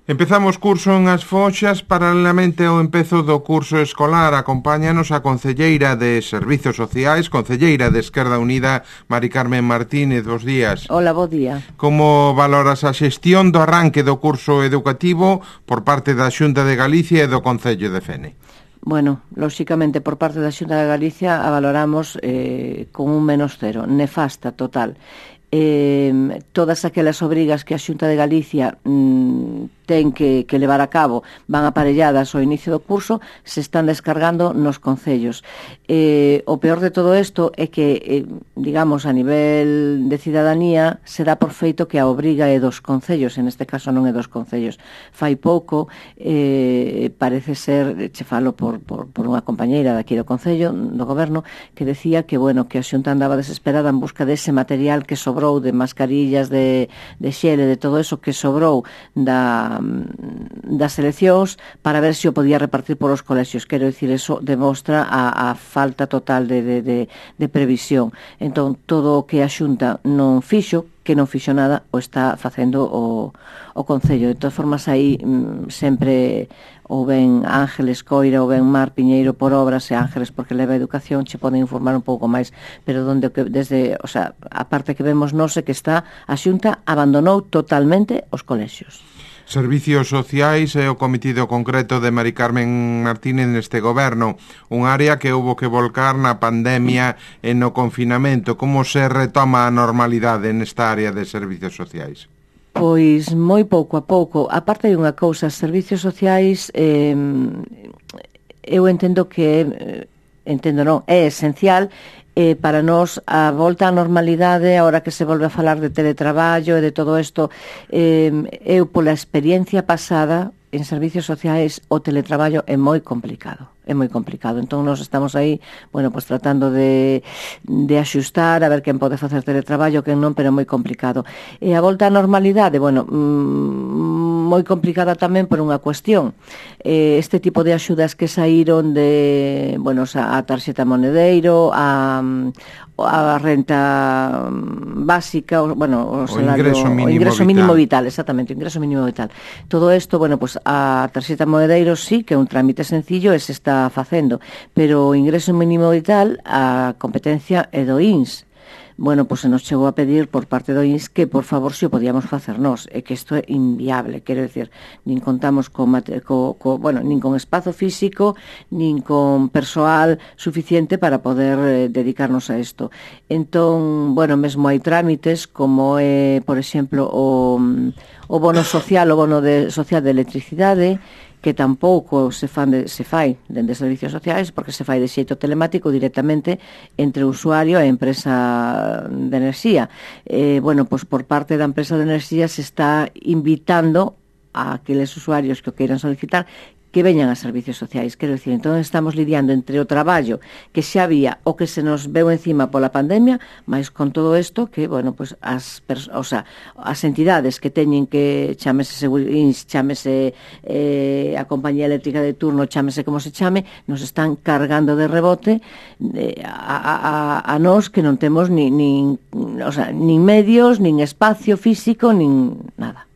Empezamos curso en As Foxas. Paralelamente ao empezo do curso escolar, acompáñanos a concelleira de Servizos Sociais, concelleira de Esquerda Unida, Mari Carmen Martínez. Bos días. Hola, bo día. Como valoras a xestión do arranque do curso educativo por parte da Xunta de Galicia e do Concello de Fene? Bueno, lóxicamente, por parte da Xunta de Galicia a valoramos con un -0, nefasta total. Todas aquelas obrigas que a Xunta de Galicia ten que levar a cabo van aparelladas ao inicio do curso, se están descargando nos concellos. O peor de todo isto é que, digamos, a nivel de cidadanía se dá por feito que a obriga é dos concellos, en este caso non é dos concellos. Fai pouco, parece ser, che falo por unha compañeira daqui do Concello, do Goberno, que decía que, bueno, que a Xunta andaba desesperada en busca dese material que sobrou de mascarillas, de xele, de todo eso que sobrou das eleccións para ver se o podía repartir por os colexios. Quero dicir, eso demostra a falta total de previsión. Entón, todo o que a Xunta non fixo, que non fixo nada, o está facendo o Concello. De todas formas, aí sempre ou ben Ángeles Coira ou ben Mar Piñeiro por obras, e Ángeles porque leva educación, che poden informar un pouco máis, pero desde, o sea, a parte que vemos nós é que está a Xunta abandonou totalmente os colexios. Servicios Sociais é o cometido concreto de Mari Carmen Martínez neste goberno, un área que houbo que volcar na pandemia e no confinamento. Como se retoma a normalidade nesta área de servicios sociais? Pois moi pouco a pouco. A parte de unha cousa, servicios sociais, eu entendo que é esencial para nós a volta á normalidade, agora que se volve a falar de teletraballo e de todo isto. Eu, pola experiencia pasada en servicios sociais, o teletraballo é moi complicado. Entón, nós estamos aí, bueno, pues tratando de axustar, a ver quen pode facer teletraballo, quen non, pero é moi complicado. E a volta á normalidade, bueno, moi complicada tamén por unha cuestión. Este tipo de axudas que saíron de, bueno, a tarxeta monedeiro, a renta básica, bueno, o salario, o ingreso mínimo vital, exactamente, o ingreso mínimo vital. Todo isto, bueno, pues a tarxeta monedeiro sí que é un trámite sencillo e se está facendo, pero o ingreso mínimo vital, a competencia é do INS. Bueno, pues se nos chegou a pedir por parte do INS que, por favor, se o podíamos facer nós, e que isto é inviable, quero decir, nin contamos nin con espazo físico, nin con persoal suficiente para poder dedicarnos a isto. Entón, bueno, mesmo hai trámites como é, por exemplo, o bono social, o bono social de electricidade, que tampouco se fai dende servicios sociais, porque se fai de xeito telemático directamente entre o usuario e a empresa de enerxía. Bueno, pois por parte da empresa de enerxía se está invitando a aqueles usuarios que o queiran solicitar que veñan a servicios sociais. Quero dicir, entón estamos lidiando entre o traballo que xa había o que se nos veu encima pola pandemia, mas con todo isto que, bueno, pues as entidades que teñen que chámese Segurins, chámese a compañía eléctrica de turno, chámese como se chame, nos están cargando de rebote a nós que non temos nin medios, nin espacio físico, nin nada.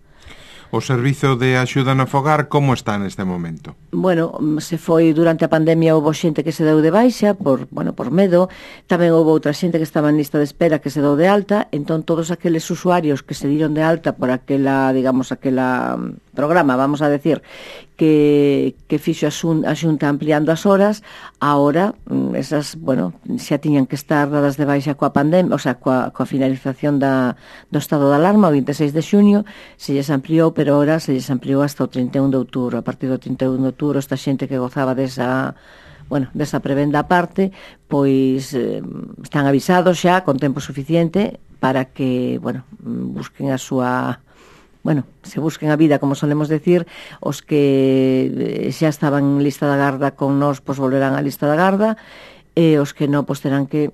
O servizo de axuda no fogar, como está neste momento? Bueno, se foi durante a pandemia, houve xente que se deu de baixa por medo, tamén houve outra xente que estaba en lista de espera que se deu de alta. Entón todos aqueles usuarios que se diron de alta por aquela programa, vamos a decir, que fixo a Xunta ampliando as horas, ahora esas, bueno, xa tiñan que estar dadas de baixa coa pandemia, o sea, coa finalización do estado de alarma, o 26 de xuño, se lles ampliou, pero ahora se lles ampliou hasta o 31 de outubro. A partir do 31 de outubro, esta xente que gozaba desa prebenda aparte, pois están avisados xa con tempo suficiente para que, bueno, busquen a súa... Bueno, se busquen a vida, como solemos decir. Os que xa estaban en lista da garda con nós, pois volverán á lista da garda, e os que non, pois terán que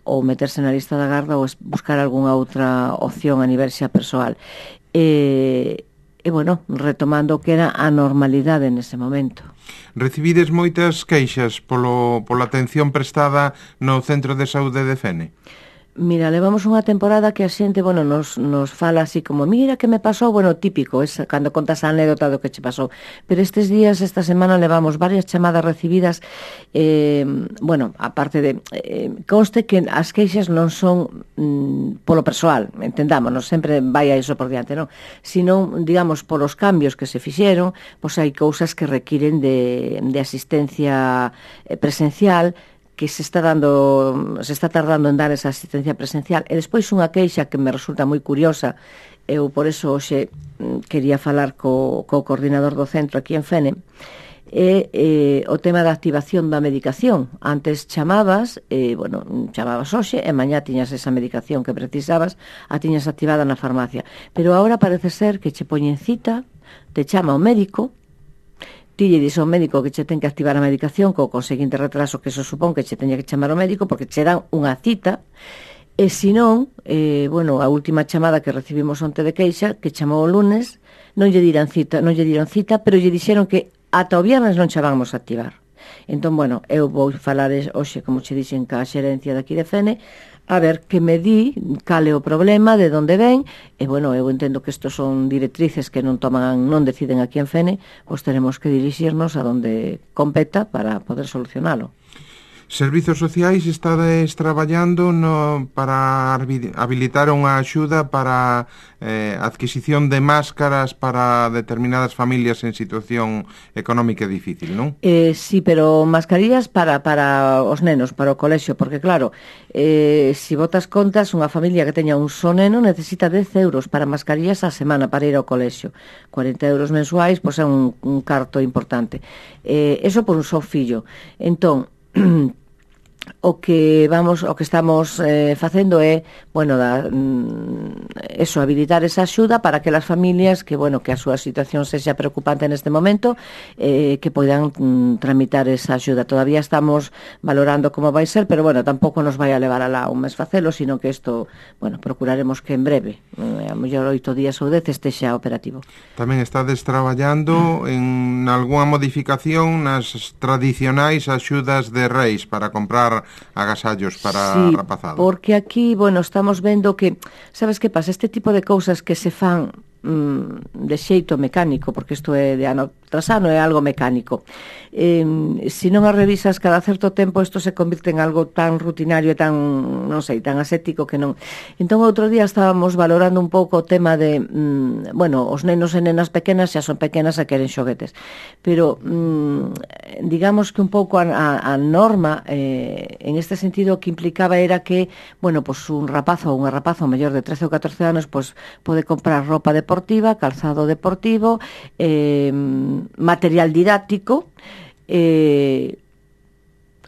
ou meterse na lista da garda ou buscar algunha outra opción a nivel xa persoal. E bueno, retomando o que era a normalidade nese momento. Recibides moitas queixas pola atención prestada no Centro de Saúde de Fene? Mira, levamos unha temporada que a xente, bueno, nos fala así como, mira que me pasou, bueno, típico, es cando contas a anécdota do que che pasou. Pero estes días, esta semana, levamos varias chamadas recibidas, bueno, aparte de, conste que as queixas non son polo persoal, entendámonos, sempre vai a iso por diante, non? Sino, digamos, polos cambios que se fixeron, pois hai cousas que requiren de asistencia presencial, que se está tardando en dar esa asistencia presencial. E despois unha queixa que me resulta moi curiosa, eu por eso hoxe quería falar co coordinador do centro aquí en Fene, é o tema da activación da medicación. Antes chamabas hoxe e mañá tiñas esa medicación que precisabas, a tiñas activada na farmacia. Pero agora parece ser que che poñen cita, te chama o médico, ti lle dis ao médico que che ten que activar a medicación co conseguinte retraso que eso supón que che teña que chamar ao médico porque che dan unha cita e senón, a última chamada que recibimos onte de queixa que chamou o lunes, non lle dieron cita, pero lle dixeron que ata o viernes non che vamos a activar. Entón, bueno, eu vou falar hoxe, como che dixen, ca xerencia daqui de Fene, a ver que me di cal é o problema, de onde ven, e, bueno, eu entendo que estos son directrices que non deciden aquí en Fene, pois teremos que dirixirnos a donde competa para poder solucionalo. Servizos Sociais estades traballando para habilitar unha axuda para adquisición de máscaras para determinadas familias en situación económica difícil, non? Sí, pero mascarillas para os nenos, para o colexio, porque claro, se botas contas, unha familia que teña un só neno necesita 10 euros para mascarillas a semana para ir ao colexio. 40 euros mensuais, pois é un carto importante. Eso por un só fillo. Entón, o que estamos facendo é, habilitar esa axuda para aquelas familias que a súa situación sexa preocupante neste momento, que poidan tramitar esa axuda. Todavía estamos valorando como vai ser, pero tampouco nos vai a levar alá un mes facelo, sino que isto, procuraremos que en breve, a mellor 8 días ou 10 estexa operativo. Tamén estades traballando en algunha modificación nas tradicionais axudas de Reis para comprar agasallos para rapazado. Porque aquí, estamos vendo que, sabes que pasa, este tipo de cousas que se fan de xeito mecánico, porque isto é de ano tras ano, é algo mecánico. Se non as revisas cada certo tempo, isto se convirte en algo tan rutinario e tan, tan ascético que non. Entón, outro día estábamos valorando un pouco o tema de, os nenos e nenas pequenas xa son pequenas e queren xoguetes. Pero, digamos que un pouco a norma, en este sentido, que implicaba era que, un rapazo ou unha rapaza mellor de 13 ou 14 anos, pode comprar roupa deportiva, calzado deportivo, material didáctico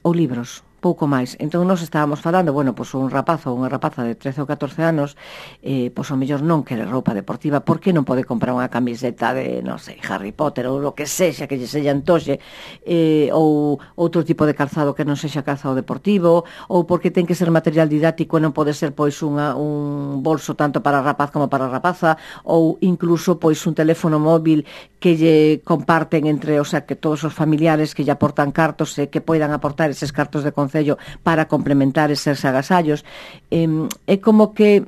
ou libros, pouco máis. Entón nos estábamos falando, un rapazo ou unha rapaza de 13 ou 14 anos, ao mellor non quere roupa deportiva, por que non pode comprar unha camiseta de, Harry Potter ou o que sexa, que lle sexa antoxe, ou outro tipo de calzado que non sexa calzado deportivo, ou porque ten que ser material didáctico e non pode ser un bolso tanto para rapaz como para rapaza, ou incluso un teléfono móvil que lle comparten entre, que todos os familiares que lle aportan cartos e que poidan aportar eses cartos de concello para complementar eses agasallos. É como que,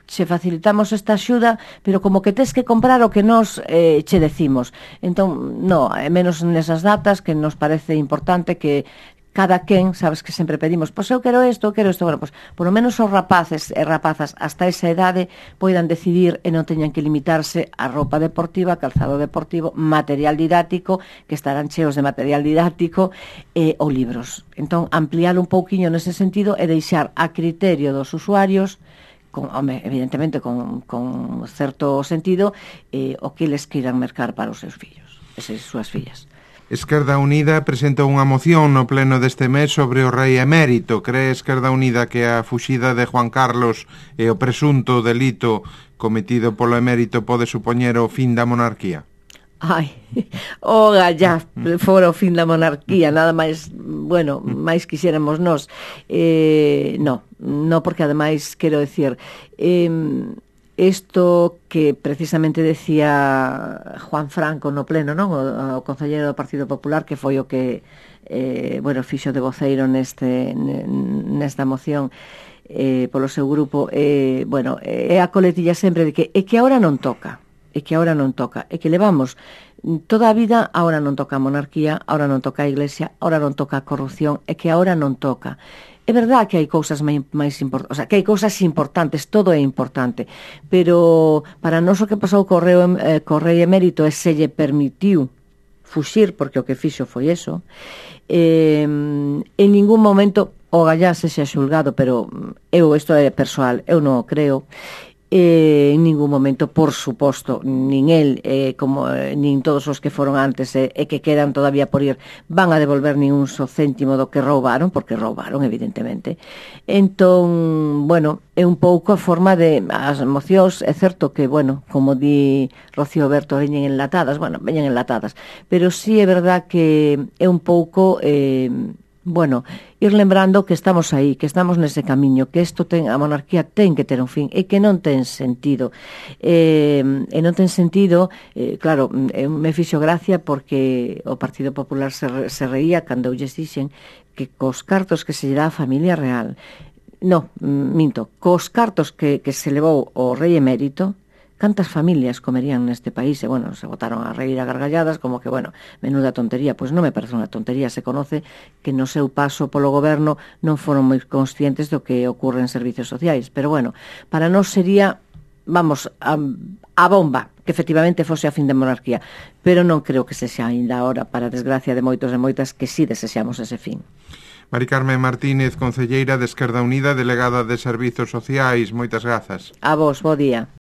che facilitamos esta axuda, pero como que tes que comprar o que nos che decimos. Entón, menos nesas datas que nos parece importante que cada quen, sabes que sempre pedimos, eu quero isto, por lo menos os rapaces e rapazas hasta esa idade poidan decidir e non teñan que limitarse a roupa deportiva, calzado deportivo, material didáctico, que estarán cheos de material didáctico, ou libros. Entón, ampliar un pouquiño nese sentido e deixar a criterio dos usuarios, evidentemente con certo sentido, o que eles queiran mercar para os seus fillos, esas súas fillas. Esquerda Unida presenta unha moción no pleno deste mes sobre o rei emérito. Cree Esquerda Unida que a fuxida de Juan Carlos e o presunto delito cometido polo emérito pode supoñer o fin da monarquía? Ya fora o fin da monarquía, nada máis, máis quixéramos nós. No, porque ademais, quero decir, isto que precisamente decía Juan Franco no pleno, non? O concelleiro do Partido Popular, que foi o que fixo de voceiro nesta moción polo seu grupo, é a coletilla sempre de que é que agora non toca, é que levamos toda a vida, agora non toca a monarquía, agora non toca a Iglesia, agora non toca a corrupción, é que agora non toca. É verdad que hai cousas máis importantes, o sea, que hai cousas importantes, todo é importante, pero para nós o que pasou co rei emérito é se lle permitiu fuxir, porque o que fixo foi eso, en ningún momento o gallá se xa xulgado, pero isto é persoal, eu non o creo, en ningún momento, por suposto, nin el nin todos os que foron antes e que quedan todavía por ir van a devolver nin un só céntimo do que roubaron, porque roubaron evidentemente. Entón, é un pouco a forma de as mocións, é certo que, como di Rocío Berto, veñen enlatadas, pero sí é verdad que é un pouco ir lembrando que estamos aí, que estamos nese camiño, que a monarquía ten que ter un fin e que non ten sentido. Claro, me fixo gracia porque o Partido Popular se reía cando lles dixen que cos cartos que se lle dá a familia real, cos cartos que se levou o rei emérito, cantas familias comerían neste país? Se botaron a reír a gargalladas como que, menuda tontería. Pois non me parece unha tontería, se conoce que no seu paso polo goberno non foron moi conscientes do que ocorre en servicios sociais, pero para nós sería, a bomba que efectivamente fose a fin da monarquía, pero non creo que se xa ainda ahora, para desgracia de moitos e moitas, que sí desexamos ese fin. Mari Carmen Martínez, concelleira de Esquerda Unida, delegada de Servizos Sociais, moitas grazas. A vos, bo día.